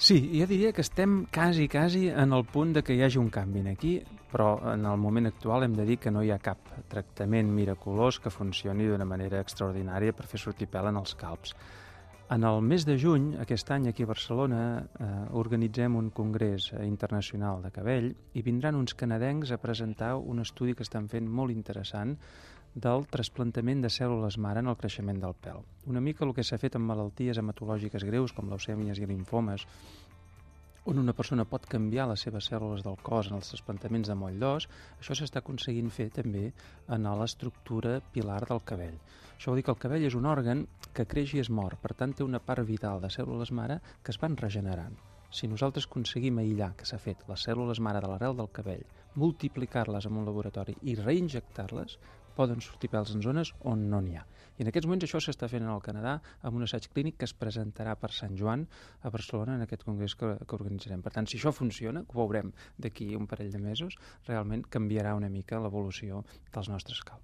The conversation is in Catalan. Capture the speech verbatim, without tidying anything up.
Sí, jo diria que estem quasi, quasi en el punt de que hi hagi un canvi aquí, però en el moment actual hem de dir que no hi ha cap tractament miraculós que funcioni d'una manera extraordinària per fer sortir pèl en els calbs. En el mes de juny, aquest any, aquí a Barcelona, eh, organitzem un congrés internacional de cabell i vindran uns canadencs a presentar un estudi que estan fent molt interessant del trasplantament de cèl·lules mare en el creixement del pèl. Una mica el que s'ha fet amb malalties hematològiques greus, com leucèmies i limfomes, on una persona pot canviar les seves cèl·lules del cos en els trasplantaments de moll d'os, això s'està aconseguint fer també en l'estructura pilar del cabell. Això vol dir que el cabell és un òrgan que creix i es mor, per tant té una part vital de cèl·lules mare que es van regenerant. Si nosaltres aconseguim aïllar, que s'ha fet, les cèl·lules mare de l'arrel del cabell, multiplicar-les en un laboratori i reinjectar-les, poden sortir pèls en zones on no n'hi ha. I en aquests moments això s'està fent al Canadà amb un assaig clínic que es presentarà per Sant Joan a Barcelona en aquest congrés que, que organitzarem. Per tant, si això funciona, que ho veurem d'aquí un parell de mesos, realment canviarà una mica l'evolució dels nostres calbs.